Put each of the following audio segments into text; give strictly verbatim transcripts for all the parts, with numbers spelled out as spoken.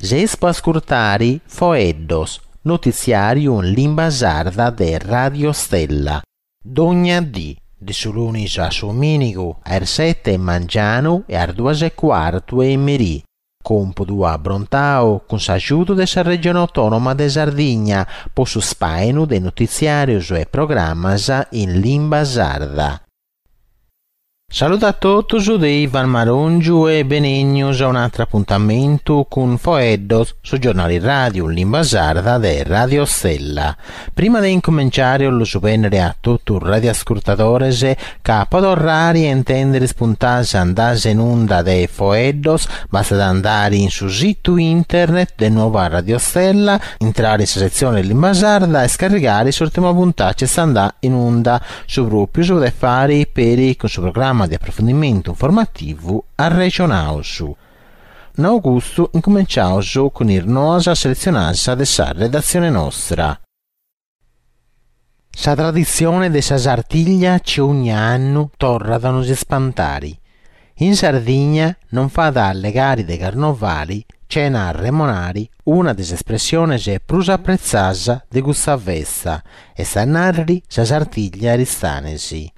Seis po ascurtare Foeddos, notitziàriu in limba sarda de Radio Stella. Dogna dì, de su lunis a su domìnigu, a is sete 'e mangianu e a is duas e cuartu 'e merì. Còmpudu abrontau cun s'agiudu de sa Regione Autònoma de Sardigna po su spàinu de notitziàrios e programmas in limba sarda. Saludu a totus de Ivan Marongiu e benènnios a un'àteru apuntamentu cun Foeddos, su giornale ràdiu in limba sarda de Radio Stella. Prima de incumenciare 'ollu bènnere a totu is radioascurtadores ca po torrare a intèndere is puntadas andadas in unda de Foeddos bastat andare in su situ internet de Nuova Radio Stella, intrare in sa setzione limba sarda e scarrigare s'ùrtima puntada chi est andada in unda. Su pròpiu si podet fàere peri cun su programma de aprofundimentu informativu Arrexonaus. Nau custu, incumenciaus cun is noas seletzionadas de sa redatzione nostra. Sa traditzione de sa Sartiglia chi ogna annu torrat a nos ispantare. In Sardigna non fait a allegare de carnovale chena arremonare una de is espressiones prus apretzadas de custa festa, est a nàrrere sa Sartiglia Aristanesi.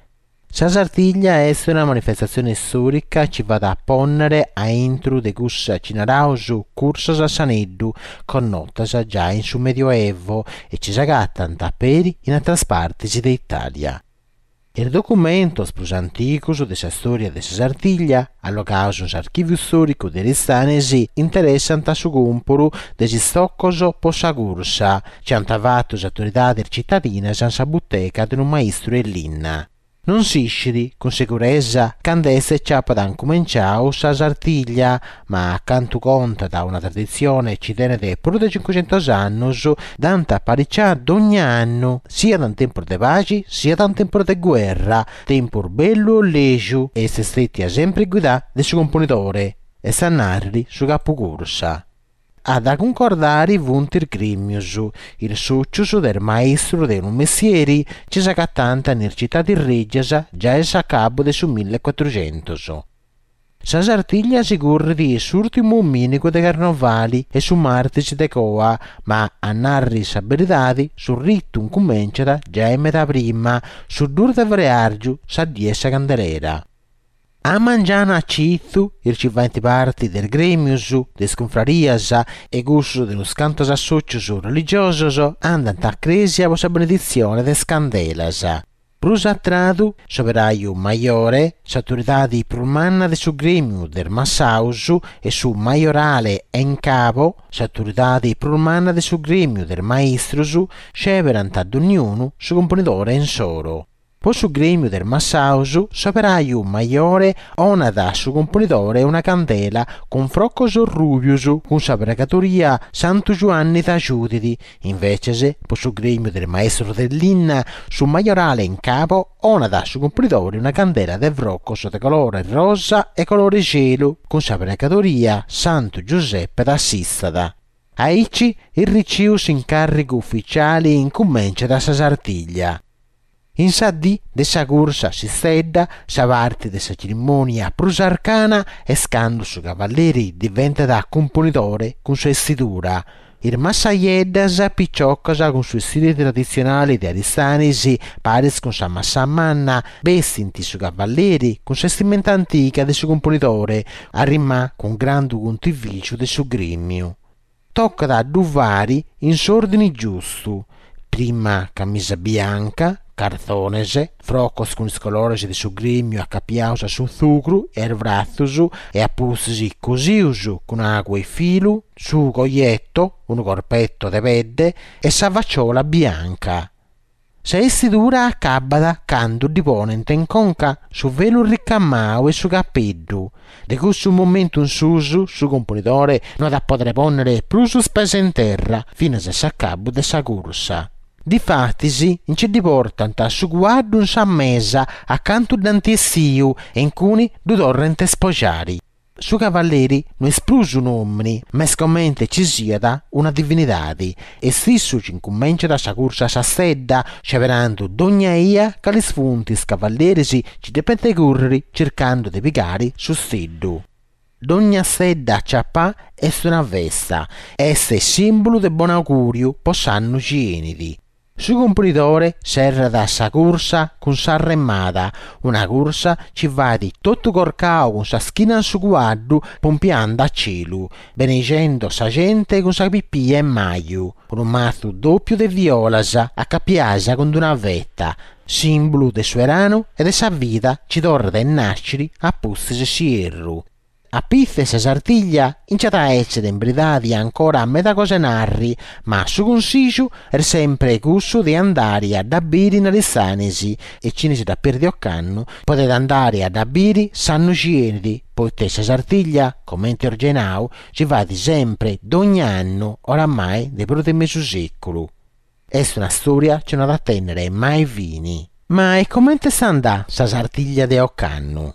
Sa Sartiglia est una manifestatzione istòrica chi fait a pònnere a intro de cussa chi naraus cursas a s'aneddu, connotas giai in su Medioevo e chi s'agatant peri in àteras partes de Itàlia. Is documentos prus antigos de sa istòria de sa Sartiglia, allogados in s'Archìviu Istòricu de Aristanis, interessant su còmporu de is istocos pro sa cursa, chi ant fatu is autoridades citadinas in sa butega de unu maistru 'e linna. Non s'ischit cun seguresa cando est chi apat incumenciadu sa Sartiglia, ma a cantu contat una traditzione chi tenet prus de cincucentos annos, dd'ant apariciada dogna annu, siat in tempus de paxi siat in tempus de guerra, tempus bellu o lègiu, e est istètia sempri guidada de su componidore, est a nàrrere su capucursa. A dda cuncordare funt is grèmios, is sòtzios de is maistros de unu mestieri chi s'agatant in is citades règias giai a s'acabu de su millecuatrucentos. Sa Sartiglia si currit s'ùrtimu domìnigu de Carnovali e su martis de coa, ma a nàrrere sa beridade su ritu incumenciat giai meda prima, su duus de freàrgiu, sa die 'e sa Candelera. A mangianu a chitzu, is chi faent parte de is grèmios, de is cunfrarias e cussos de unos cantos assòtzios religiosos andant a crèsia pro sa beneditzione de is candelas. Prus a tradu, s'operaju majore, s'autoridade prus manna de su grèmiu de is massaos e su majorale en cabo, s'autoridade prus manna de su grèmiu de is maistros, sceberant donniunu su componidore insoro. Pro su grèmiu de is massaos, s'operaju majore onat a su componidore una candela cun frocos rùbios cun sa pregadoria Santu Giuanni t'agiudet, inveces pro su grèmiu de is maistros de linna, su majorale in cabo onat a su componidore una candela de frocos de colore rosa e colore chelu cun sa pregadoria Santu Giuseppe t'assistat. Aici, irriciu s'incàrrigu ufitziale incumenciat sa Sartiglia. In sa dì de sa cursa a s'istedda, sa parte de sa tzerimònia prus arcana est cando su cavalleri diventat cumponidore cun sa 'estidura. Is massajeddas piciocas cun su 'estire traditzionale de Aristanis, paris cun sa massa manna, bestint su cavalleri cun sa 'estimenta antiga de su cumponidore, arrimà cun grandu contivìgiu de su grèmiu. Tocat a ddu fàere in s'òrdine giustu, prima camisa bianca, cartzones, frocos cun is colores de su grèmiu acapiados a su tzugru e a is bratzos e a pustis cosidos cun agu e filu, su coietto, unu corpetto de pedde, e sa faciola bianca. Sa 'estidura acabat cando ddi ponent in conca su velu ricamadu e su capeddu. De cussu momentu in susu su componidore no at a pòdere pònnere prus is pes in terra finas a s'acabu de sa cursa. Difatis nche ddi portant su cuaddu in sa mesa acantu dd'ant essiu e incuni ddu torrant a ispogiare. Su cavalleri no est prus un'òmine, ma est comente chi siat una divinidade. Est issu chi incumenciat sa cursa a sa stedda, sceberando dogna 'ia cales funt is cavalleris chi depent cùrrere chircando de pigare su steddu. Dogna stedda aciapà est una festa, est sìmbulu de bonaugùriu po s'annu chi 'enit. Su Cumponidore serrat sa cursa cun sa remada, una cursa chi fait totu corcau cun sa schina in su cuaddu pompiande a celu, beneixendo sa gente cun sa pipia 'e maju, unu matzu dòpiu de violas acapiadas cun una feta, sìmbulu de su 'eranu e de sa vida chi torrat a nàschere a pustis de s'ierru. A pitzu 'e sa Sartiglia nch'at a èssere in beridade ancora meda cosa 'e narri, ma su cunsìgiu est semper cussu de andare a dda bìdere in Aristanis e chine si dd'at pèrdiu ocannu podet andare a dda bìdere s'annu chi 'enit, poite sa Sartiglia, comente eus giai nau, si faghet semper dogna annu oramai de prus de mesu sèculu. Est una stòria chi no at a tènnere mai fine. Ma e comente est andà sa Sartiglia de ocannu?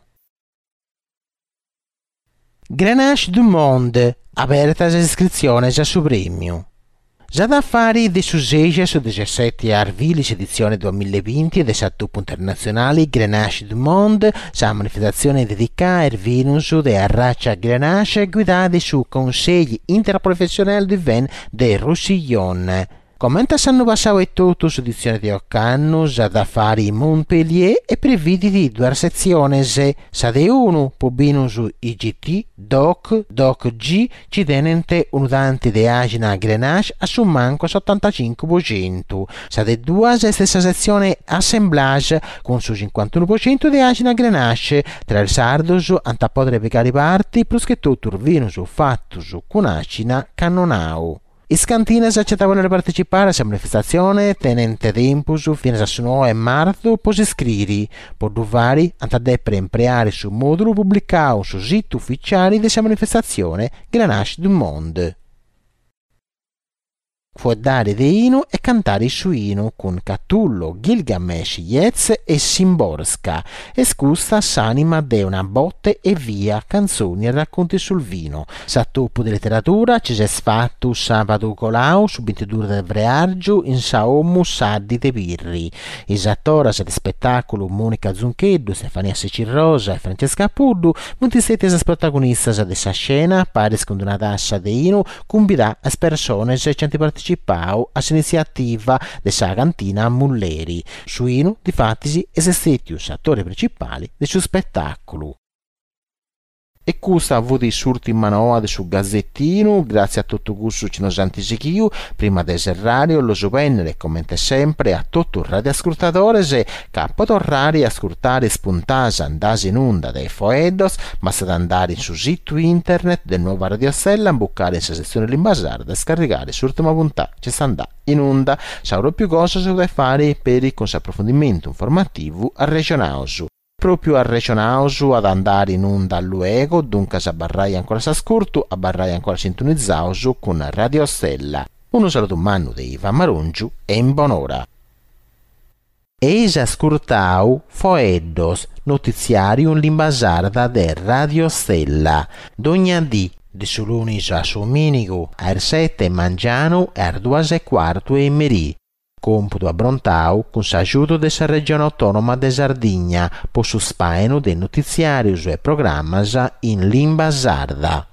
Grenache du Monde, abertas is iscritziones a su prèmiu. S'at a fare de su seixi a su dexesseti 'e arbili s'editzione duamilla e binti de s'atopu internatzionale Grenache du Monde, sa manifestatzione dedicada a is binos de arratza Grenache guidada de su Conseil Interprofessionnel du Vin de Roussillon. Comente s'annu passadu etotu s'editzione de ocannu s'at a fare in Montpellier e previdit duas setziones, sa de unu po binos I G T, D O C, D O C G, chi tenent unu tanti de àxina Grenache a su mancu a s'otantacincu po centu. Sa de duas est sa setzione Assemblage, cun su cincuantunu po centu de àxina Grenache. Tra is sardos ant a pòdere pigare parte prus che totu is binos fatos cun àxina Cannonau. Is cantinas chi ant a bòlere partecipare a sa manifestatzione tenent tempus finas a su noe 'e martzu pro s'iscrìere. Pro ddu fàghere ant a dèpere impreare su mòdulu publicadu in su situ ufitziale de sa manifestatzione Grenache du Monde. Fueddare de 'inu e cantare su 'inu cun Catullo, Gilgamesh, Yeats e Szymborska. Est custa s'anima de Una botte e via, canzoni e racconti sul vino. S'atopu de literadura chi s'est fatu sàbadu colau su bintiduus de freàrgiu in sa 'Omu Saddi de Pirri. Is atoras de ispetàculu Monica Zuncheddu, Stefania Secci Rosa e Francesca Puddu funt istètias is protagonistas de sa scena paris cun una tassa de 'inu cumbidà a is persones chi ant partecipau a s'initziativa de sa cantina Mulleri. Su 'inu, difatis, est istètiu s'atore principale de su spetàculu. E custa fut s'ùrtima noa de su Gazettinu, gràtzias a totu cussu chi nos ant sighiu. Prima de serrare, 'ollu bennere, comente sempre, a totu is radioascurtadores, ca po torrare a ascurtare is puntas andas in unda de Foeddos, bastat andare in su situ internet de Nuova Radio Stella, imbucare in sa setzione Limba Sarda e scarrigare s'ùrtima puntà chi est andà in unda. Sa pròpiu cosa si podet fare peri cun s'aprofundimento informativu Arrexonaus. Pròpiu Arrexonaus at a andare in unda luego, duncas abarrai ancora s'ascurtu, abarrai ancora sintonizaus cun Radio Stella. Unu saludu mannu de Ivan Marongiu e in bonora. Eis ascurtau Foeddos, notitziàriu in limba sarda de Radio Stella. Dogna dì, de su lunis a su domìnigu, a is sete 'e mangianu e a is duas e cuartu 'e merì. Còmpudu abrontau cun s'agiudu de sa Regione Autònoma de Sardigna po su spàinu de notitziàrios e programmas in limba sarda.